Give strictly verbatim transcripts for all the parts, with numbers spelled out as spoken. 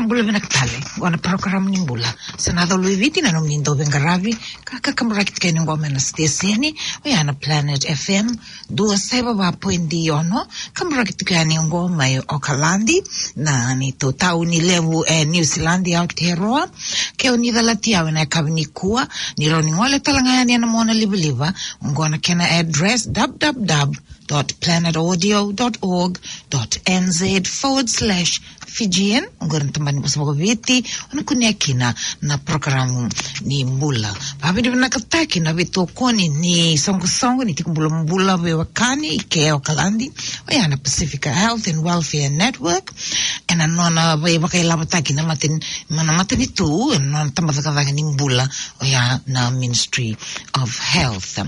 Bula vinaka tale, qo na program ni bula. Sa na colo i Viti na nomuni dau veiqaravi, ka, ka kaburaki tiko yani qo mai na siteseni, oya na Planet F M, dua saiva va poidi ono, kaburaki tiko yani qo mai Okaladi, na neitou tauni levu e Niusiladi, Aotearoa. Ke o ni calati au ena yakavi nikua, ni rawa ni gole tale ga yani ena monalivaliva, qo na kena address, w w w dot planet audio dot org dot n z forward slash Fijian, oqori na tabana ni vosa vakaviti, o na kunea kina na porokaramu ni bula. Vakavinavinakataki na veitokoni ni soqosoqo ni tiko bulabula veiwekani i ke Okaladi, oya na Pacifica Health and Welfare Network, ena nona veivakailavotaki na mata-, na matanitu, ena nona tabacakacaka ni bula, oya na Ministry of Health.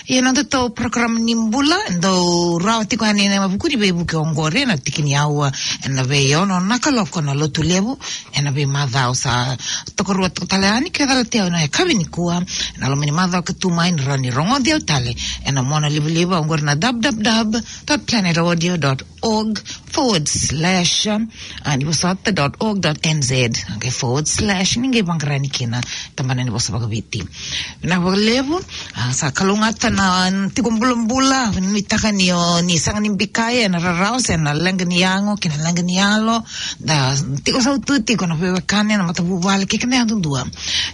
Ia na nodatou porokaramu ni bula, dau rawa tiko yani ena vuku ni veivuke oqori, ena tiki ni aua ena veiono na kaloko na Lotulevu, ena veimacawa sa tokarua toka tale yani, ke calati au ena yakavi nikua, ena loma ni macawa ka tu mai, ni rawa ni rogoci au tale ena monalivaliva, oqori na w w w dot planet audio dot org forward slash, ah, ni vosota dot org dot n z, okay, forward slash, ni qai vaqara yani kina tabana ni vosa vakaviti. Vinaka vakalevu, ah, sa kalougata na tiko bulabula, nuitaka ni o ni sega ni bikai ena rarawa se na leqa ni yago kei na leqa ni yalo, da tiko sautu tiko na veiwekani, na matavuvale kei keda yadudua.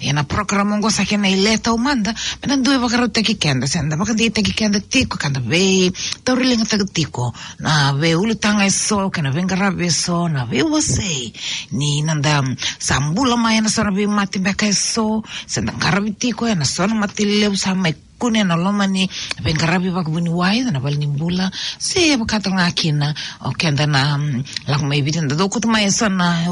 Ia na porokaramu oqo sa kena ile taumada, me da dui vakarautaki keda, se da vakadeitaki keda tiko, ka da veitauriligataki tiko na veiulutaga eso kei na veiqaravi eso, na veiwasei ni noda sa bula mai ena so na veimate beka eso, se da qaravi tiko ena so na mate levu sa mai kune ena loma ni veiqaravi vakavuniwai, na vale ni bula, se vaka tale ga kina o keda na, mm, lako mai Viti, da dau kauta mai eso na,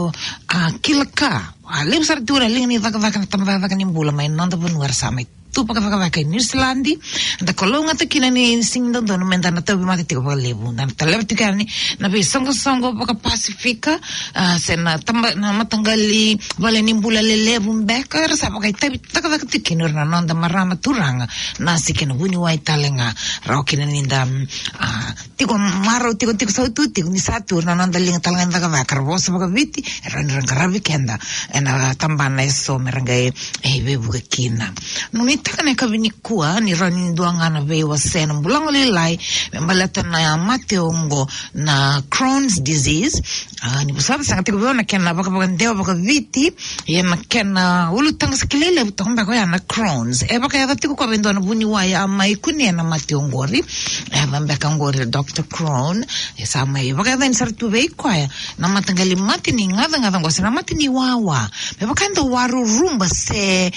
ah, kila ka. A levu sara tu na liga ni cakacaka na tabacakacaka ni bula mai na noda vanua, era sa mai tu vakacakacaka i Niusiladi. Da kalougata kina ni sega ni dodonu me da na tauvimate tiko vakalevu, da na taleva tiko yani na veisoqosoqo vakaPasifika, ah, se na taba-, na mataqali vale ni bula lelevu beka, era sa vakaitavi cakacaka tiko kina o ira na noda marama, turaga, nasi kei na vuniwai tale ga. Rawa kina ni da, mm, ah, tiko marau, tiko, tiko sautu tiko, ni sa tu na noda liga tale ga ni cakacaka, ra vosa vakaviti, e rawa ni ra qaravi keda ena tabana eso me ra qai, e, veivuke kina. Nuitaka na yakavi nikua ni rawa ni dua ga na veiwasei na bulago lailai me baleta na mate oqo na Crohn's disease. Ah, ni vosota, sega tiko vei au na kena vakavakadewa vakaviti, ia na kena ulutaga sa kilai levu toka beka oya na Crohn's. E vakayaca tiko koya vei dua na vuniwai a mai kunea na mate oqori. E yaca beka oqori Doctor Crohn. E sa mai vakayacani sara tu vei koya na mataqali mate ni gacagaca oqo, se na mate ni wawa. Me vaka e dau waruruba se,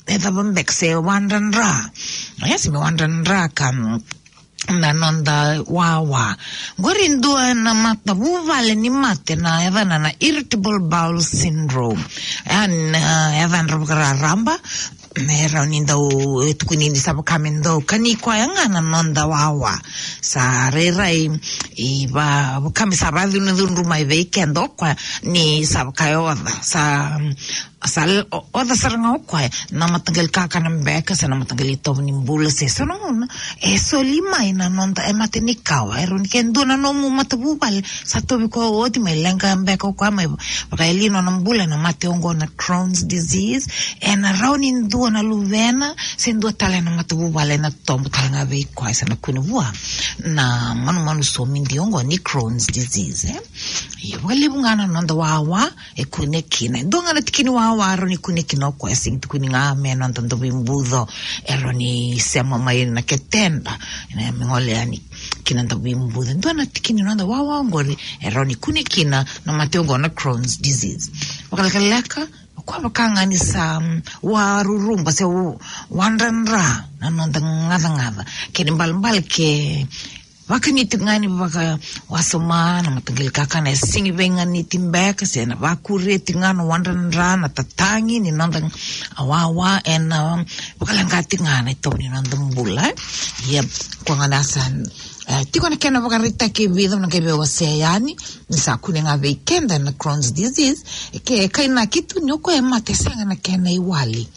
e cava beka, se wadradra. Ia se me wadradra ka, mm, na noda wawa. Qori dua na matavuvale ni mate na yacana na irritable bowel syndrome. Ia na, ah, yacadra vakararaba, me rawa ni dau, e tukuni ni sa vaka me dau kani koya ga na noda wawa. Sa rairai, i va-, vaka me sa vakacudrucudru mai vei keda o koya ni sa vaka e oca. Sa, sa l-, o-, oca sara ga o koya na mataqali kakana beka, se na mataqali itovo ni bula, se so na gauna e soli mai na noda, e mate ni kawa. E rawa ni ke dua na nomu matavuvale sa tauvi koya oti, mai leqa beka o koya, mai vakayalia nona bula na mate oqo na Crohn's disease. Ena rawa ni dua na luvena se dua tale na matavuvale na tobo tale ga vei koya, se na kune vua na manumanu somidi oqo ni Crohn's disease, e. Ia vakalevu ga na noda wawa e kune kina. E dua ga na tiki ni wawa e rawa ni kune kina o koya, e sega ni tukuni ga me noda dauveibuco e rawa ni sema mai na keteda, e, me gole yani ki na dauveibuco. E dua na tiki ni noda wawa oqori e rawa ni kune kina na mate oqo na Crohn's disease. Vakalekaleka o koya vaka ga ni sa, mm, waruruba se wa-, wadradra na noda gacagaca. Kena ibalebale ke vakani tiko ga ni vakawasoma na mataqali kakana, e sega ni veiganiti beka, se na vakuria tiko ga na wadradra, na tatagi ni noda wawa, ena, um, vakaleqa tiko ga na itovo ni noda bula, e. Ia, koya ga na sa, e, tiko na kena vakaraitaki e vica, au na qai veiwasea yani, ni sa kune ga vei keda na Crohn's disease, e ke kainaki tu ni o koya e mate sega na kena iwali.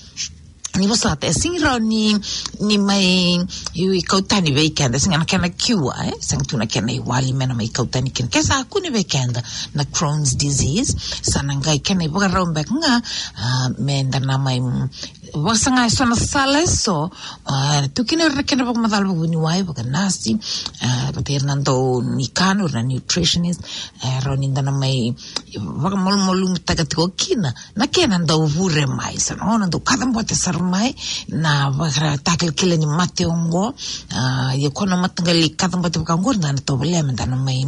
ni vosota, e sega ni rawa ni, ni mai, i, i kau tani vei keda, sega na kena cure, e, sega tu na kena iwali me na mai kau tani kina. Ke sa kune vei keda na Crohn's disease, sa na qai kena ivakarau beka ga, a, me da na mai, mm, vakasaga eso na sala eso, a, tu kina o ira na kena vakamacala vakavuniwai, vakanasi, a, vata ira na dau ni kana, o ira na nutritionist, e, rawa ni da na mai vakamalumalumutaka tiko kina na kena dau vure mai, sa na gauna dau kacabote sara mai na vakaratakilakila ni mate oqo. A, ia ko na mataqali kacabote vaka oqo, da na tovolea me da na mai,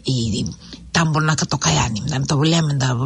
i, tabonaka toka yani, da na tovolea me da,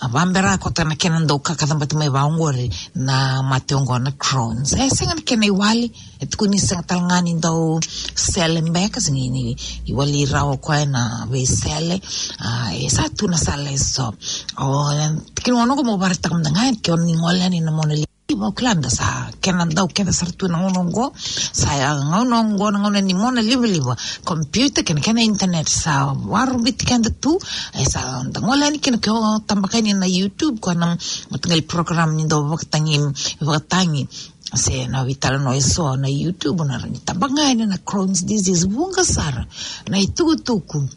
a, vabera koto na kena dau ka, kacabote mai vaka oqori na mate oqo na Crohn's. E sega na kena iwali, e tukuni sega tale ga ni dau sele beka, sega ni iwali rawa o koya na veisele. A, e sa tu na sala eso. O, e, kina gauna oqo mo vakaraitaka mada ga, ke o ni gole yani na mona livaliva, o kila da sa kena dau kece sara tu na gauna oqo. Sa ya gauna oqo na gauna ni mona livaliva, computer kei na kena internet sa vakarogoci keda tu. E sa da gole yani kina, ke o tabaka yani na YouTube, ko na mataqali program ni dau vakatagi, vakatagi se na veitalanoa eso na YouTube, na rawa ni tabaka yani na Crohn's disease, vuqa sara na itukutuku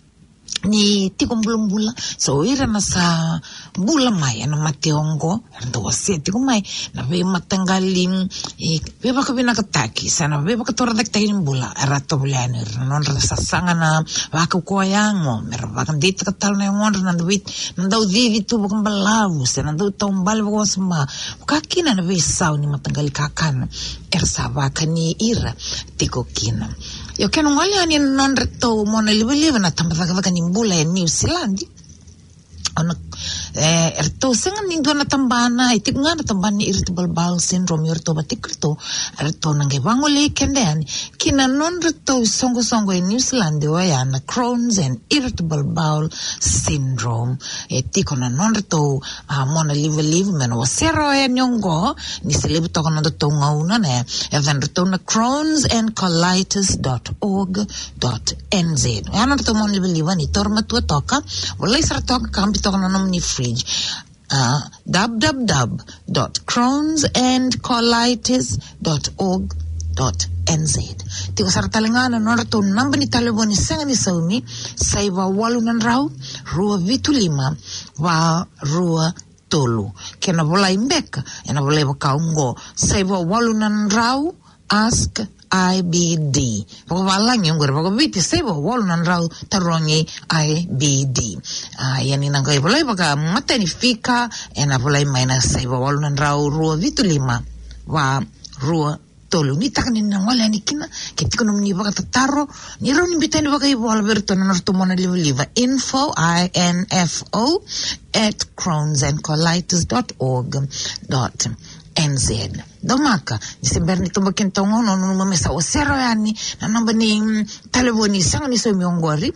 ni tiko bulabula. So ira na sa bula mai ena mate oqo, era dau wasea tiko mai na veimataqali, e, veivakavinakataki se na veivakatorocaketaki ni bula, era tovolea yani o ira na nodra sasaga na vakaukauwa yago, me ra vakadeitaka tale na yagodra na vei, na dau cici tu vakabalavu se na dau taubale vakawasoma, vaka kina na veisau ni mataqali kakana era sa vakani ira tiko kina. Io, ke na gole yani na nodratou mona livaliva na tabacakacaka ni bula e New Zealand, o na, e, eratou sega ni dua na tabana, e tiko ga na tabana ni irritable bowel syndrome, eratou vata kei iratou, eratou na qai vagolei keda yani ki na nodratou isoqosoqo e New Zealand, oya na Crohn's and irritable bowel syndrome. E tiko na nodratou, a, mona livaliva me na wasea rawa yani oqo, ni se levu toka na nodratou gauna, ne. E yacadratou na Crohn's and colitis dot org dot N Z. E a nodratou mona livaliva, ni taura matua toka, volai sara toka, kabi toka na nomuni fridge. A, w w w dot crohn's and colitis dot org dot N Z. Tiko sara tale ga na nodratou naba ni talevoni sega ni saumi, saiva walu na drau, rua vitu lima, va rua tolu. Ke na volai beka, e na volai vaka oqo, saiva walu na drau, ask I B D. Vakavalagi oqori, vakaviti, saiva walu na drau, tarogi I B D. A, ia ni na qai volai vakamatani fika, e na volai mai na saiva walu na drau, rua vitu lima, va rua tolu. Ni taka ni na gole yani kina, ke tiko nomuni vakatataro, ni rawa ni biuta yani vakaivola vei iratou na nodratou mona livaliva, info, I N F O, at crohn's and colitis dot org dot N Z. Domaka, ni se bera ni toboki na tau gauna, nanuma me sa wasea rawa yani na naba ni, mm, talevoni sega ni saumi oqori,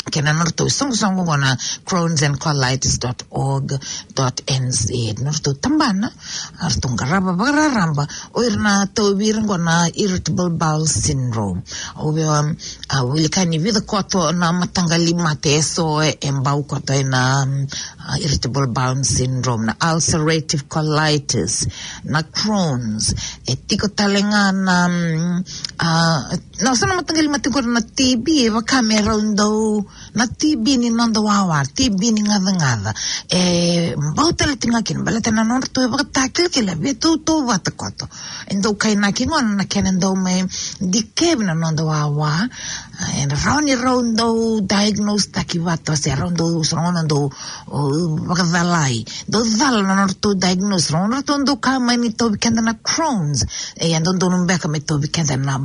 kei na nodratou isoqosoqo oqo na crohn's and colitis dot org dot N Z. Nodratou tabana, a, ratou qarava vakararaba o ira na tauvi ira oqo na irritable bowel syndrome. Au via, um, a, wilika ni vica koto na mataqali mate eso e, e bau koto ena, um, a, irritable bowel syndrome, na ulcerative colitis, na Crohn's, e tiko tale ga na, um, a, na, so na mataqali mate qori na T B, e vaka me rau dau, na T B ni noda wawa, T B ni gacagaca. E bau tale tiko ga kina, baleta na nodratou ivakatakilakila e veitautauvata koto. E dau kainaki gona na kena dau mai dikevi na noda wawa. E rawa ni rau dau diagnose taki vata, se rau dau, so na gauna dau, o, vakacalai. Dau cala na nodratou diagnose, so na gauna ratou dau kaya mai ni tauvi keda na Crohn's. E, e dodonu beka me tauvi keda na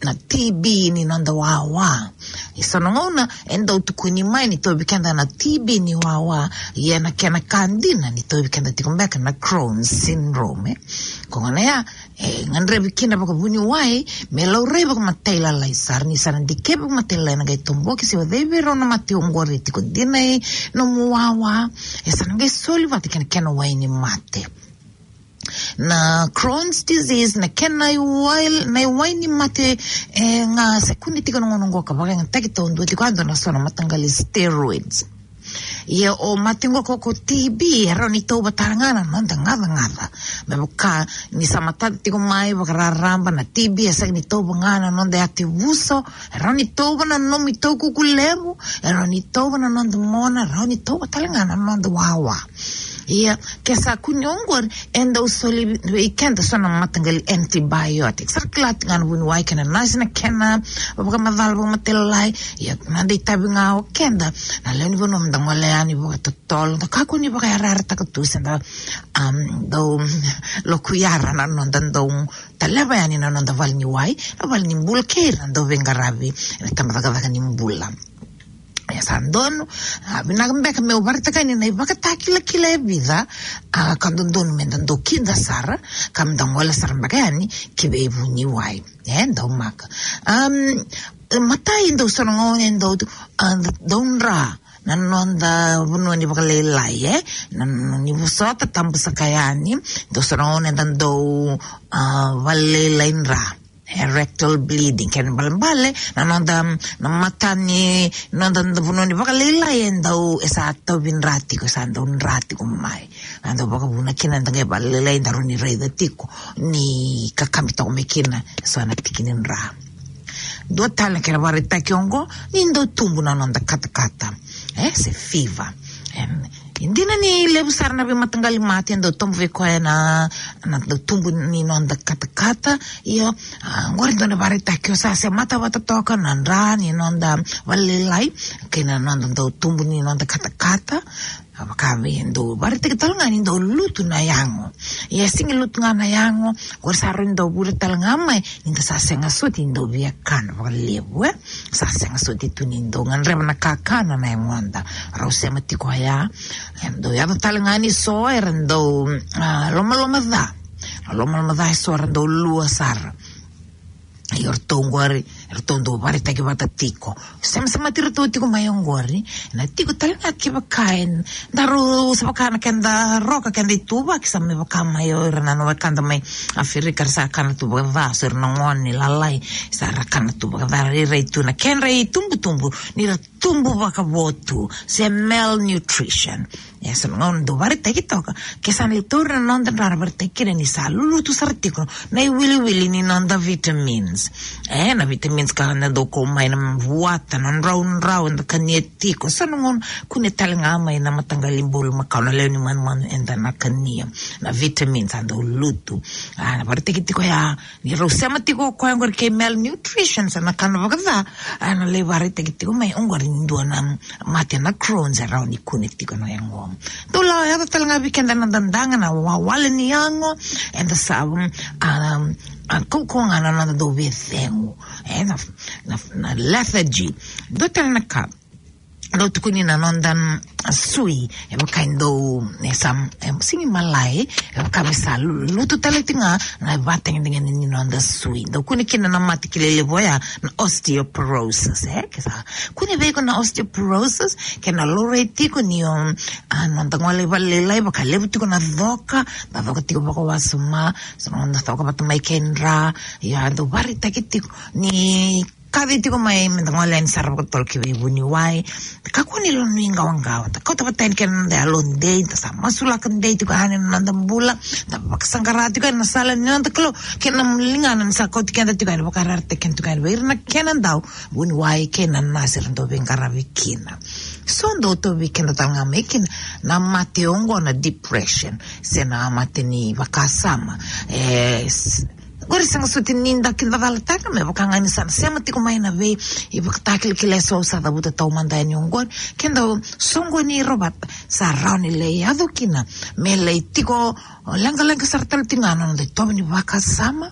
na T B ni noda wawa. E so na gauna e dau tukuni mai ni tauvi keda na T B ni wawa, ia na kena ka dina ni tauvi keda tiko beka na Crohn's syndrome, e. Ko gona ya, e gadrevi kina vakavuniwai me laurai vakamatailalai sara, ni sa na dikevi vakamatailalai na qai toboki se o cei vei rau na mate oqori e tiko dina e nomu wawa, e sa na qai soli vata kei na kena wai ni mate. Na Crohn's disease, na kena iwai, na iwai ni mate, e, ga se kune tiko na gauna oqo ka vakayagataki taudua tiko, a dua na so na mataqali steroids. Ia o mate qo ko, ko T B, e rawa ni tauva tale ga na noda gacagaca. Me vaka ni sa matata tiko mai vakararaba na T B, e sega ni tauva ga na noda yatevuso, e rawa ni tauva na nomu itaukuku levu, e rawa ni tauva na noda mona, e rawa ni tauva tale ga na noda wawa. Ia, ke sa kune oqori, e dau soli vei keda so na mataqali antibiotics. Sa ra kila tiko ga na vuniwai kei na nasi na kena vakamacala, vakamatelalai. Ia, na noda itavi ga o keda na lewe ni vanua, me da gole yani vakatotolo, da kakua ni vakayarayarataka tu se da, um, dau lokuyara na noda dau taleva yani na noda vale ni wai, na vale ni bula kei ira na dau veiqaravi ena tabacakacaka ni bula. Ia sa donu, a, vinaka beka meu vakaraitaka yani na ivakatakilakila e vica, a, ka dodonu me da dau kida sara, ka me da gole sara beka yani ki vei vuniwai. E, dau maka. Um, matai, dau so na gauna e dau, a, dau dra na noda vanua ni vakalailai, e? Na, na, ni vosota, tabu saka yani, dau so na gauna eda dau, a, vakalailai dra. E, rectal bleeding, kena ibalebale, na noda, na mata ni noda, noda vanua ni vakalailai e dau, e sa tauvi dra tiko, e sa dau dra tiko mai. A dau vakavuna kina da qai vakalailai, da rawa ni raica tiko ni kakabi toka mai kina so na tiki ni dra. Dua tale na kena vakaraitaki oqo, ni dau tubu na noda katakata, e, se fever. E, e dina ni levu sara na veimataqali mate e dau tubu vei koya na, na dau tubu ni noda katakata. Io, a, oqori dua na vakaraitaki, o sa semata vata toka na dra ni noda vakalailai kei na noda dau tubu ni noda katakata. A, vaka me dau vakaraitaki tale ga ni dau lutu na yago. Ia e sega ni lutu ga na yago, oqori sa rawa ni dau vure tale ga mai ni da sa sega soti ni dau via kana vakalevu, e? Sa sega soti tu ni dau gadreva na kakana na yagoda. Rau sema tiko ya. E dau yaco tale ga ni so era dau, a, lomaloma ca. Lomaloma ca e so era dau lua sara. Ia o ratou oqori, eratou dau vakaraitaki vata tiko. Semasemati iratou tiko mai oqori, na tiko tale ga kevaka e daru, sa vaka na keda roka, keda ituvaki, sa me vaka mai o ira na wekada mai Aferika, ra sa kana tu vakaca, so ira na gone lalai, sa ra kana tu vakaca, rairai tu na kedra itubutubu ni ra tubu vakavo tu, se malnutrition. E, sa na gauna dau vakaraitaki toka, ke sa na lai tauri na noda dra, na vakaraitaki kina ni sa lulutu sara tiko na iwiliwili ni noda vitamins. E, na vitamins ka na dau kau mai na vuata, na draudrau eda kania tiko. Sa na gauna kune tale ga mai na mataqali bulumakau, na lewe ni manumanu eda na kania. Na vitamins a dau lutu. A, na vakaraitaki tiko ya, ni rau sema tiko o koya oqori kei malnutrition, sa na kana vakaca, a, na lai vakaraitaki tiko mai oqori ni dua na mate na Crohn's e rawa ni kune tiko na yago. Dau la yaco tale ga vei keda na dadaga, na wawale ni yago, eda sa, um, a, a, kaukauwa ga na noda dau veicegu. E, na, na, na lethargy. Dua tale na ka dau tukuni na noda, mm, sui, e vaka e dau, e sa, e sega ni malai, e vaka me sa lu-, lutu tale tiko ga na ivakatagedegede ni noda sui. Dau kune kina na mate kilai levu oya, na osteoporosis, e, ke sa kune vei iko na osteoporosis, ke na laurai tiko ni o, a, noda gole vakalailai, vakalevu tiko na coka, na coka tiko vakawasoma, so na noda coka vata mai kei dra, ia dau vakaraitaki tiko ni kaci tiko mai me da gole yani sara vakatotolo ki vei vuniwai. Kakua ni lako ni qawaqawa, da kauta vata yani kei na noda yalodei, da sa masulaka dei tiko yani na noda bula, da vakasaqara tiko yani na sala ni noda Kalou, kei na ligana ni sa kauti keda tiko yani, vakaraitaki keda tiko yani vei ira na kena dau vuniwai kei na nasi era dau veiqaravi kina. So dau tauvi keda tale ga mai kina na mate oqo na depression, se na mate ni vakasama. E, s-, Qori sega soti ni da kidacalataka, me vaka ga ni sa na sema tiko mai na vei ivakatakilakila eso au sa cavuta taumada yani oqori. Keda soqoni ira vata, sa rawa ni lai yaco kina me lai tiko leqaleqa sara tale tiko ga na noda itovo ni vakasama.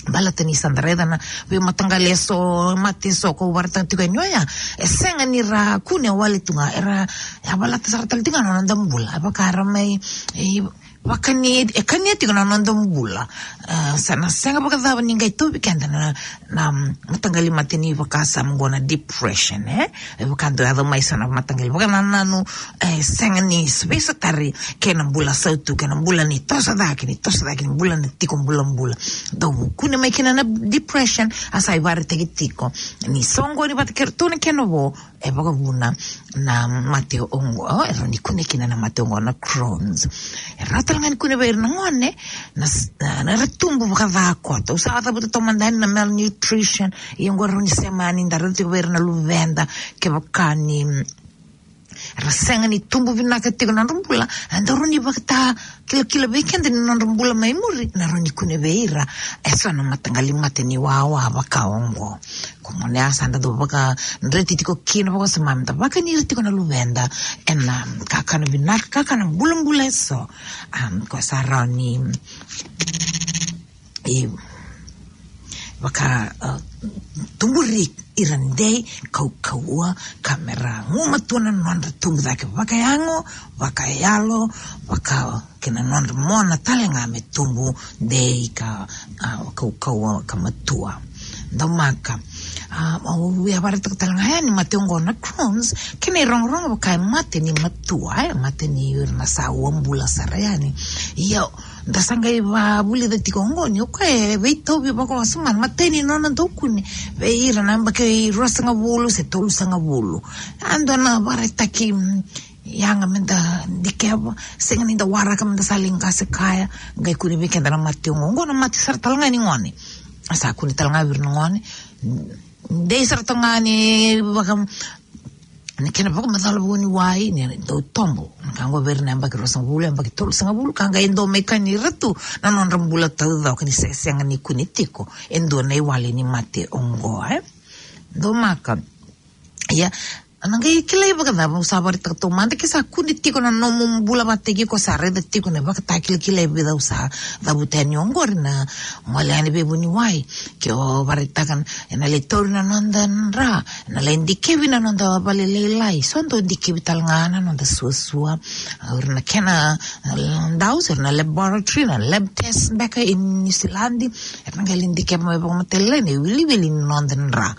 Baleta ni sa da raica na veimataqali eso, mate eso kau vakaraitaka tiko yani oya, e sega ni ra kune wale tu ga, era yavalata sara tale tiko ga na noda bula. E vaka era mai, e, vakani, e kania tiko na noda bula. E, sa na sega vakacava ni qai tauvi keda na, na, mm, mataqali mate ni vakasama oqo na depression, e? E vaka dau yaco mai so na mataqali vakanananu, e, sega ni veisotari kei na bula sautu, kei na bula ni toso cake, ni toso cake, ni bula na tiko bulabula. Dau kune mai kina na depression, a sa ivakaraitaki tiko ni soqoni vata kei ratou na kena vo, e vakavuna na mate oqo, e rawa ni kune kina na mate oqo na Crohn's. E rawa tale ga ni kune vei ira na gone, na s-, na, na ra tubu vakaca koto. Au sa cavuta taumada yani na malnutrition, ia oqo rawa ni sema yani, da raica tiko vei ira na luveda, kevaka ni, mm, ra sega ni tubu vinaka tiko na nodra bula, e dau rawa ni vakatakilakila vei keda ni nodra bula mai muri, na rawa ni kune vei ira eso na mataqali mate ni wawa vaka oqo. Ko gone ya sa da dau vakadreti tiko kina vakasama me da vakani ira tiko na luveda ena kakana vinaka, kakana bulabula eso. Am, ko sa rawa ni, e, vaka, a, tuburi ira dei, kaukauwa, ka me ra gumatua na nodra tubu cake vakayago, vakayalo, vaka kei na nodra mona tale ga me tubu dei ka, a, kaukauwa ka matua. Daumaka. A, au via vakaraitaka tale ga yani mate oqo na Crohn's, kena irogorogo vaka e mate ni matua, e mate ni ira na sa uabula sara yani. Ia, da sa qai vavulica tiko oqo ni o koya e veitauvi vakawasoma na imatai ni nona dau kune vei ira na yabaki ruasagavulu se tolusagavulu. A dua na vakaraitaki, mm, yaga me da dikeva, sega ni da waraka me da sa lai qase kaya, qai kune vei keda na mate oqo. Oqo na mate sara tale ga ni gone. Sa kune tale ga vei ira na gone. Dei sara tale ga ni vaka, na kena vakamacala vuniwai, ni dau tobo. Na ka oqo vei ira na yabaki ruasagavulu, yabaki tolusagavulu, ka qai dau mai kani ira tu na nodra bula taucoko ni se-, sega ni kune tiko e dua na iwali ni mate oqo, e. Daumaka. Ia, na qai kilai vakacava, au sa vakaraitaka taumada, ke sa kune tiko na nomu bula vakataki iko, sa raica tiko na ivakatakilakila e vica au sa cavuta yani oqori, na gole yani veivuniwai. Ke o vakaraitaka na, ena lai tauri na noda dra, ena lai dikevi na noda valelailai, so dau dikevi tale ga na noda suasua. O ira na kena, e, dau, o ira na laboratory, na lab test beka e Niusiladi, era na qai lai dikeva mai vakamatailalai na iwiliwili ni noda dra.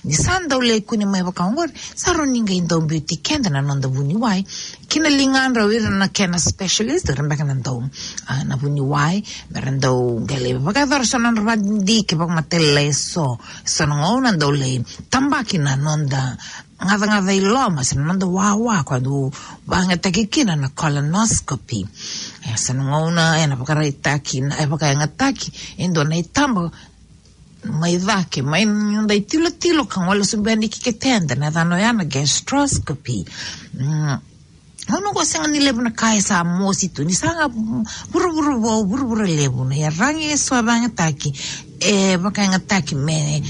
Ni sa dau lai kune mai vaka oqori, sa rawa ni qai dau biuti keda na noda vuniwai ki na ligadra o ira na kena specialist, o ira beka na dau, a, na vuniwai, me ra dau qai lai vakayacora so na nodra vakadidike vakamatailalai eso. So na gauna dau lai tabaki na noda gacagaca i loma se na noda wawa, koya dau vakayagataki kina na colonoscopy. E, so na gauna ena vakaraitaki na, e vakayagataki e dua na itaba mai cake, mai noda itilotilo ka gole sobu yani ki keteda, na yacana oya na gastroscopy. Mm. Gauna oqo sega ni levu na ka e sa mosi tu, ni sa ga vuravura vou, vuravura levu, na iyaragi eso e vakayagataki, e vakayagataki me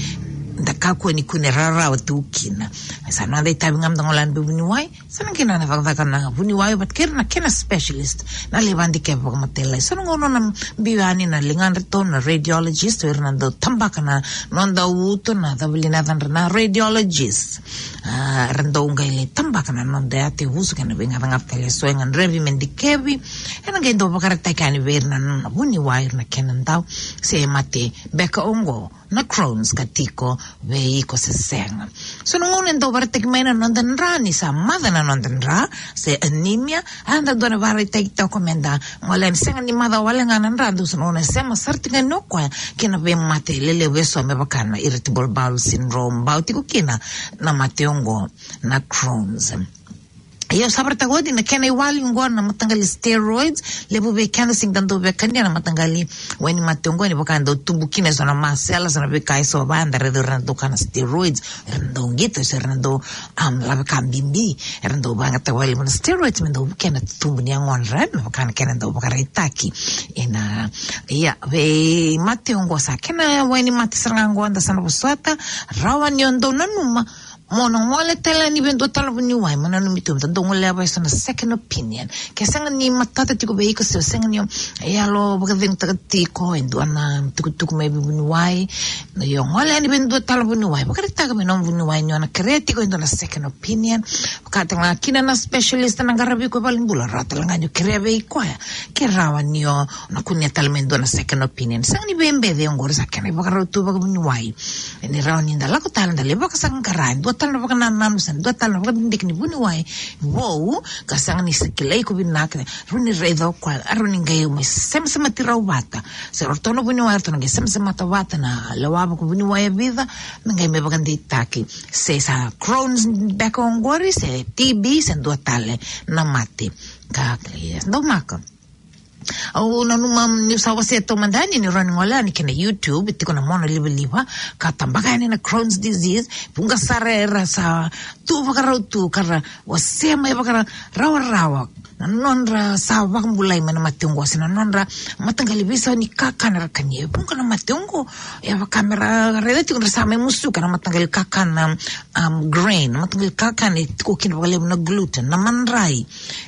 da kakua ni kune rarawa tu kina. Sa noda itavi ga me da gole yani veivuniwai, sa na kena na cakacaka na vuniwai vata kei ira na kena specialist, na lai vakadikeva vakamatailalai. So na gauna na biu yani na ligadratou na radiologist, o ira na dau tabaka na noda uto, na cava li na yacadra, na radiologist. A, era dau qai lai tabaka na noda yatevuso kei na veigacagaca tale eso e gadrevi me dikevi. Era qai dau vakaraitaki yani vei ira na, na vuniwai, ira na kena dau se mate beka oqo na Crohn's ka tiko vei iko se sega. So na gauna e dau vakaraitaki mai na noda dra ni sa maca na noda dra, se anemia, a da dua na vakaraitaki toka me da gole yani, sega ni maca wale ga na dra, dau so na gauna e sema sara tiko yani o koya kei na veimate lelevu eso me vaka na irritable bowel syndrome, bau tiko kina na mate oqo na Crohn's. Ia au sa vakaraitaka oti na kena iwali oqo na mataqali steroids, levu vei keda sega ni da dau via kania na mataqali wainimate oqo, ni vaka e dau tubu kina eso na masela, so na veika eso vaka eda raica ira na dau kana steroids, ira na dau qito, se ira na dau, am, laveka bibi, era dau vakayagataka vakalevu na steroids me dau vukea na tubu ni yagodra, me vaka na kena dau vakaraitaki. Ena, ia, veimate oqo sa kena wainimate sara ga oqo eda sa na vosota, rawa ni o dau nanuma mo na gole tale yani vei dua tale na vuniwai, mo nanumi tu me da dau goleva eso na second opinion. Ke sega ni matata tiko vei iko se o sega ni o yalo vakacegutaka tiko e dua na tukutuku mai vei vuniwai, na io gole yani vei dua tale na vuniwai, vakaraitaka vei nomu vuniwai ni o na kerea tiko e dua na second opinion. Vaka tale ga kina na specialist na qaravi iko e valenibula, rawa tale ga ni o kerea vei koya ke rawa ni o na kunea tale mai dua na second opinion. Sega ni veibeci oqori, sa kena ivakarau tu vakavuniwai. Ni rawa ni da lako tale, da lai vakasaqara e dua tale na vakanananu se dua tale na vakadidike ni vuniwai vou, ka sega ni sa kilai iko vinaka, rawa ni raica o koya, rawa ni qai mai semasemati rau vata. Se ratou na vuniwai, ratou na qai semasemata vata na lewa vakavuniwai e vica, na qai mai vakadeitaki. Se sa Crohn's beka oqori, se T B, se dua tale na mate. Ka, ka, e, dau maka. Au nanuma niu sa wasea taumada yani ni rawa ni gole yani kina YouTube, tiko na mona livaliva, ka tabaka yani na Crohn's disease, vuqa sara era sa tu vakarau tu, ka ra wasea mai vakarawarawa na nodra sa vakabulai mai na mate oqo, se na nodra mataqali veisau ni kakana era kania. E vuqa na mate oqo, e vaka me ra raica tiko ni ra sa mai musuka na mataqali kakana, um, grain, na mataqali kakana e tiko kina vakalevu na gluten, na madrai.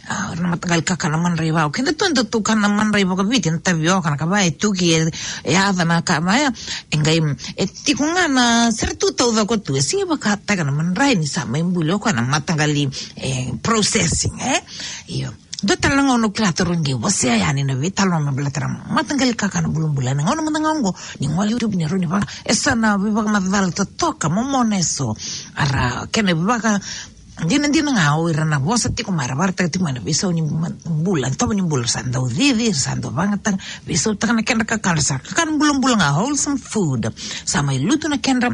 A, na mataqali kakana madrai vau. Keda tu, da tu kana madrai vakaviti, na tavioka, na kava e tuki, e, e yaca na ka vaya. E qai, e tiko ga na sere tu taucoko tu. E sega vakataka na madrai ni sa mai buli o koya na mataqali, e, processing, e? Io. Dua tale na gauna au kila taru qai wasea yani na veitalanoa me baleta na mataqali kakana bulabula. Na gauna mada ga oqo, ni gole YouTube ni rawa ni vaka, e sa na veivakamacala totoka, momona e so. Ara, kena vaka, Dina, dina ga o ira na vosa tiko mai, ra vakaraitaka tiko mai na veisau ni ma-, bula, tovo ni bula, sa dau cici, sa dau vagataka, veisautaka na kedra kakana, sa kakana bulabula ga, wholesome food. Sa mai lutu na kedra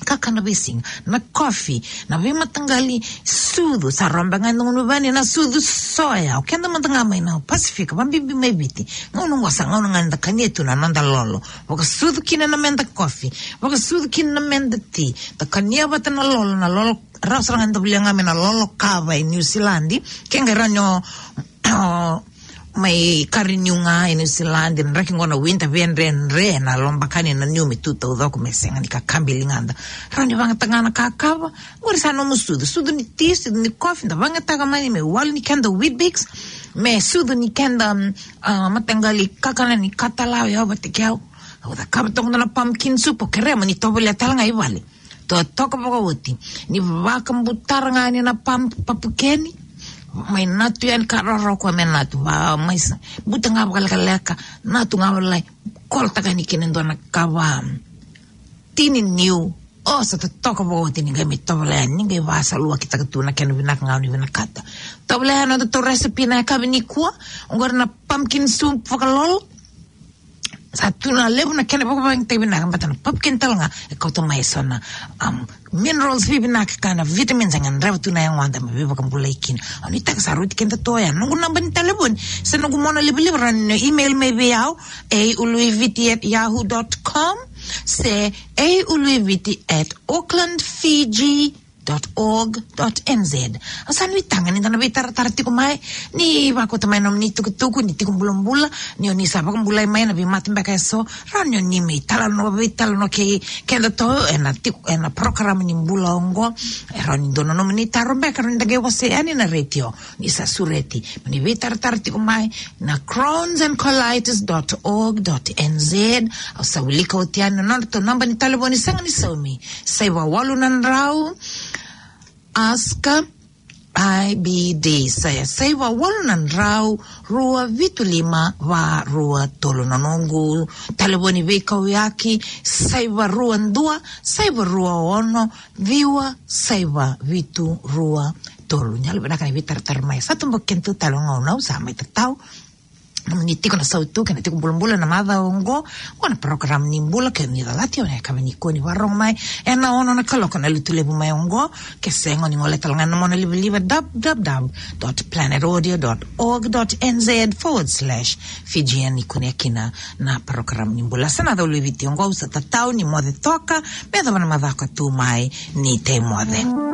kakana veisiga, na coffee, na veimataqali sucu, sa robe ga e dua na vanua na sucu soya, o keda mada ga mai na Pasifika, vabibi mai Viti. Gauna oqo sa gauna ga da kania tu na noda lolo. Vakasucu kina na meda coffee, vakasucu kina na meda tea, da kania vata na lolo, na lolo Rawa sara ga ni da volia ga me na lolo kava e Niusiladi. Ke qai rawa ni o, o mai kari niu ga e Niusiladi, na draki qo na winter, via dredre na lobakani na niu me tu taucoko me sega ni kakabi ligada. Rawa ni vagataka ga na kakava, qori sa nomu sucu, sucu ni tea, sucu ni coffee, da vagataka mai me walu ni keda Weet-Bix, me sucu ni keda, mm, a, mataqali kakana ni katalau, e au vata kei au. Au cakava toka na pumpkin soup, o kerea mo ni tovolea tale ga i vale. Totoka vakaoti. Ni vakabutara ga yani na pam-, papukeni. Mai natu yani ka roro koya me natu. Va, mai sa, buta ga vakalekaleka. Natu ga vakalailai. Kolotaka yani kina e dua na kava. Tini niu. O, sa totoka vakaoti ni qai mai tovolea yani. Ni qai vasaluakitaka tu na kena vinaka ga o ni vinakata. Tovolea yani na nodatou recipe na yakavi nikua. Oqori na pumpkin soup vakalolo. Sa tu na levu na kena vakavakayagataki vinaka, baleta na pumpkin tale ga e kauta mai eso na, um, minerals vivinaka kei na vitamins e gadreva tu na yagoda me veivakabulai kina. Au nuitaka sa rauti keda toka ya. Noqu naba ni talevoni se noqu mona livaliva, rawa ni email mai vei au, a uluiviti at yahoo dot com, se a uluiviti at auckland fiji dot org dot N Z. Au sa nuitaka ni da na veitaratara tiko mai, ni vakauta mai nomuni tukutuku, ni tiko bulabula, ni o ni sa vakabulai mai na veimate beka eso, rawa ni o ni mai talanoa, veitalanoa kei kedatou ena tiko, ena program ni bula oqo. E rawa ni dua na nomuni taro beka, rawa ni da qai wasea yani na retio, ni sa sureti. Ni veitaratara tiko mai, na crohns and colitis dot org dot N Z. Au sa wilika oti yani na nodratou naba ni talevoni sega ni saumi. Saiva walu na drau, ask I B D. Sa ya, saiva walu na drau, rua vitu lima, va rua tolu. Na noqu talevoni veikauyaki, saiva rua dua, saiva rua ono, ciwa, saiva vitu, rua tolu. Ni yalovinaka ni veitaratara mai. Sa toboki kedatou tale na gauna, au sa mai tatau. Ni tiko na sautu kei na tiko bulabula na macawa oqo, oqo na program ni bula, ke ni calati, o na yakavi nikua ni vakarorogo mai ena ono na kaloko na Lotulevu mai oqo. Ke sega, o ni gole tale ga ena mona livaliva, w w w dot planet audio dot org dot N Z forward slash Fijian, ni kunea kina na program ni bula. Sa na cau lui Viti oqo, au sa tatau ni moce toka, me yacova na macawa ka tu mai, ni tei moce.